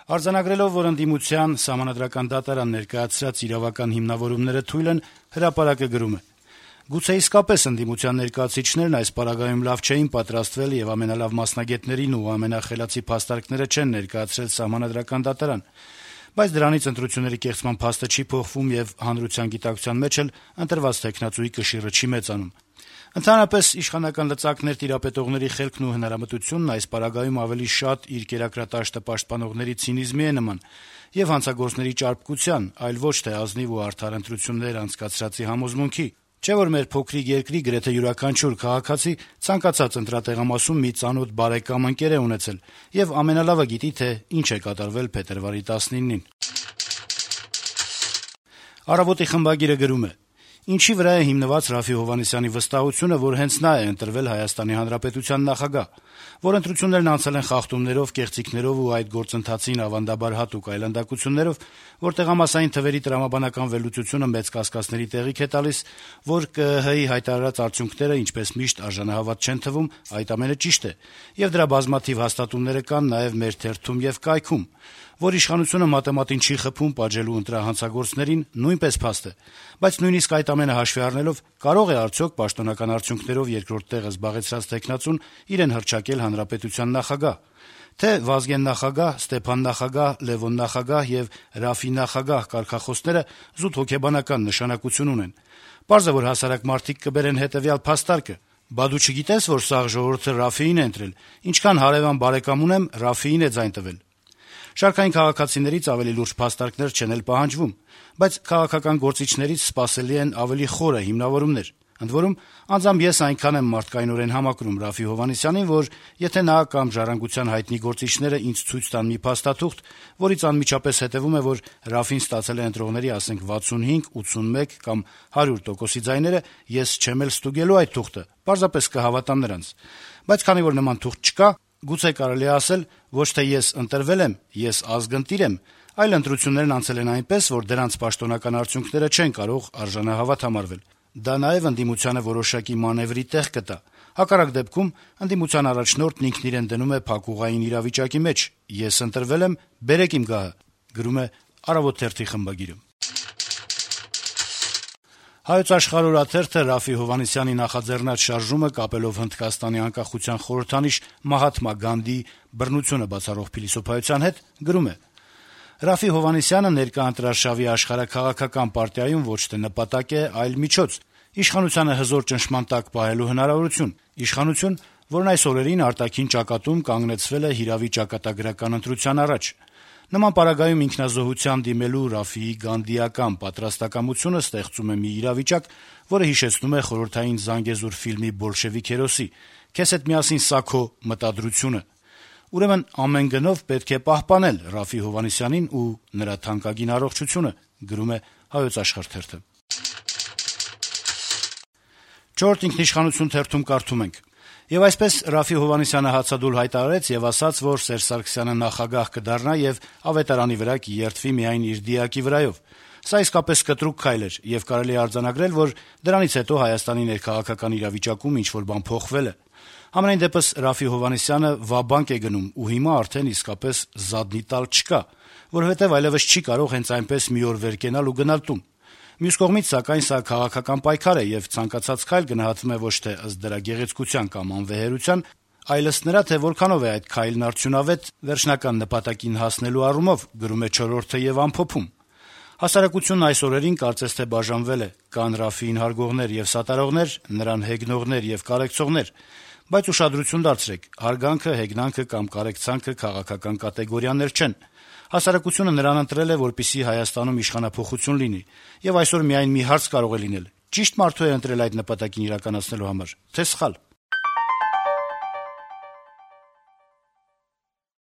Արձանագրելով, որ ընդդիմության Սահմանադրական դատարան ներկայացրած իրավական հիմնավորումները թույլ են, «Հրապարակ»-ը գրում է. - «Գուցե իսկապես ընդդիմության ներկայացուցիչներն այս պարագայում լավ չէին պատրաստվել եւ ամենալավ մասնագետներին ու ամենախելացի փաստարկները չեն ներկայացրել Սահմանադրական դատարան, բայց դրանից ընտրությունների կեղծման փաստը չի փոխվում եւ հանրության գիտակցության մեջ էլ ընտրված թեկնածուի կշիռը չի մեծանում։ Ընդհանրապես, իշխանական լծակներ տիրապետողների խելքն ու հնարամտությունն այս պարագայում ավելի շատ իր կերակրատաշտը պաշտպանողների ցինիզմի է նման եւ հանցագործների ճարպկության, այլ ոչ թե ազնիվ ու արդար ընտրություններ անցկացրածի համոզմունքի։ Չէ՞ որ մեր փոքրիկ երկրի գրեթե յուրաքանչյուր քաղաքացի ցանկացած ընտրատեղամասում մի ծանոթ բարեկամ ընկեր է ունեցել եւ ամենալավը գիտի, թե ինչ է կատարվել փետրվարի 19-ին»։ «Առավոտ»-ի խմբագիրը գրում է. - «Ինչի վրա է հիմնված Րաֆֆի Հովհաննիսյանի վստահությունը, որ հենց նա է ընտրվել Հայաստանի Հանրապետության նախագահ, որ ընտրություններն անցել են խախտումներով, կեղծիքներով ու այդ գործընթացին ավանդաբար հատուկ այլանդակություններով, որ տեղամասային թվերի տրամաբանական վերլուծությունը մեծ կասկածների տեղիք է տալիս, որ ԿԸՀ-ի հայտարարած արդյունքները, ինչպես միշտ, արժանահավատ չեն թվում, այդ ամենը ճիշտ է, եւ դրա բազմաթիվ հաստատումները կան նաեւ մեր թերթում եւ կայքում, որ իշխանությունը մատեմատին չի խփում պատժելու ընտրահանցագործներին, նույնպես փաստ է, բայց նույնիսկ այդ ամենը հաշվի առնելով կարող է արդյոք պաշտոնական արդյունքներով երկրորդ տեղը զբաղեցրած թեկնածուն իրեն հռչակել հանրապետության նախագահ, թե Վազգեն նախագահ, Ստեփան նախագահ, Լևոն նախագահ եւ Րաֆֆի նախագահ կարգախոսները զուտ հոգեբանական նշանակություն ունեն։ Պարզ է, որ հասարակ մարդիկ կբերեն հետեւյալ փաստարկը. «Բա դու չգիտես, որ սաղ ժողովուրդը Րաֆֆիին է ընտրել, ինչքան հարեւան բարեկամ ունեմ, Րաֆֆիին է ձայն տվել»։ Շարքային քաղաքացիներից ավելի լուրջ փաստարկներ չեն էլ պահանջվում, բայց քաղաքական գործիչներից սպասելի են ավելի խորը հիմնավորումներ։ Ընդ որում, անձամբ ես այնքան եմ մարդկայնորեն համակրում Րաֆֆի Հովհաննիսյանին, որ եթե նա կամ «Ժառանգության» հայտնի գործիչները ինձ ցույց տան մի փաստաթուղթ, որից անմիջապես հետեւում է, որ Րաֆֆին ստացել է ընտրողների, ասենք, 65, 81 կամ 100% ձայները, ես չեմ էլ ստուգելու այդ թուղթը, պարզապես կհավատամ նրանց։ Բայց քանի որ նման թուղթ չկա, գուցե կարելի է ասել, ոչ թե ես ընտրվել եմ, ես ազգընտիր եմ, այլ ընտրություններն անցել են այնպես, որ դրանց պաշտոնական արդյունքները չեն կարող արժանահավատ համարվել։ Դա նաեւ ընդդիմությանը որոշակի մանեւրի տեղ կտա։ Հակառակ դեպքում ընդդիմության առաջնորդն ինքն իրեն դնում է փակուղային իրավիճակի մեջ. «Ես ընտրվել եմ, բերեք իմ գահը», գրում է «Առավոտ» թերթի խմբագիրը։ «Հայոց Աշխարհ» օրաթերթը Րաֆֆի Հովհաննիսյանի նախաձեռնած շարժումը կապելով Հնդկաստանի անկախության խորհրդանիշ Մահաթմա Գանդիի բռնությունը բացառող փիլիսոփայության հետ գրում է. - «Րաֆֆի Հովհաննիսյանը ներկա ընտրարշավի աշխարհաքաղաքական պարտիայում ոչ թե նպատակ է, այլ միջոց, իշխանությանը հզոր ճնշման տակ պահելու հնարավորություն, իշխանություն, որն այս օրերին արտաքին ճակատում կանգնեցվել է հիրավի ճակատագրական ընտրության առաջ։ Նման պարագայում ինքնազոհության դիմելու Րաֆֆիի գանդիական պատրաստակամությունը ստեղծում է մի իրավիճակ, որը հիշեցնում է խորհրդային «Զանգեզուր» ֆիլմի բոլշևիկ հերոսի. «Քեզ հետ միասին սա քո մտադրությունը»։ Ուրեմն ամեն գնով պետք է պահպանել Րաֆֆի Հովհաննիսյանին ու նրա թանկագին առողջությունը», գրում է «Հայոց Աշխարհ» թերթը։ «Չորրորդ ինքնիշխանություն» թերթում կարդում ենք. - «Եվ այսպես Րաֆֆի Հովհաննիսյանը հացադուլ հայտարարեց եւ ասաց, որ Սերժ Սարգսյանը նախագահ կդառնա եւ ավետարանի վրա կերթվի միայն իր դիակի վրայով։ Սա իսկապես կտրուկ քայլ էր եւ կարելի է արձանագրել, որ դրանից հետո Հայաստանի ներքաղաքական իրավիճակում ինչ-որ բան փոխվել է։ Համենայն դեպս Րաֆֆի Հովհաննիսյանը վաբանկ է գնում ու հիմա արդեն իսկապես զադնի տալ չկա, որովհետեւ այլեւս չի կարող հենց այնպես մի օր վեր կենալ ու գնալ տուն։ Մյուս կողմից, սակայն, սա քաղաքական պայքար է եւ ցանկացած քայլ գնահատվում է ոչ թե ըստ դրա գեղեցկության կամ անվեհերության, այլ ըստ նրա, թե որքանով է այդ քայլն արդյունավետ վերջնական նպատակին հասնելու առումով, գրում է «Չորրորդը» եւ ամփոփում։ Հասարակությունն այս օրերին կարծես թե բաժանվել է. կան Րաֆֆիին հարգողներ եւ սատարողներ, նրան հեգնողներ եւ կարեկցողներ, բայց ուշադրություն դարձրեք, հարգանքը, հեգնանքը կամ կարեկցանքը քաղաքական կատեգորիաներ չեն։ Հասարակությունը նրան ընտրել է, որպեսզի Հայաստանում իշխանափոխություն լինի, եւ այսօր միայն մի հարց կարող է լինել. ճիշտ մարդու է ընտրել այդ նպատակին իրականացնելու համար, թե՞ սխալ։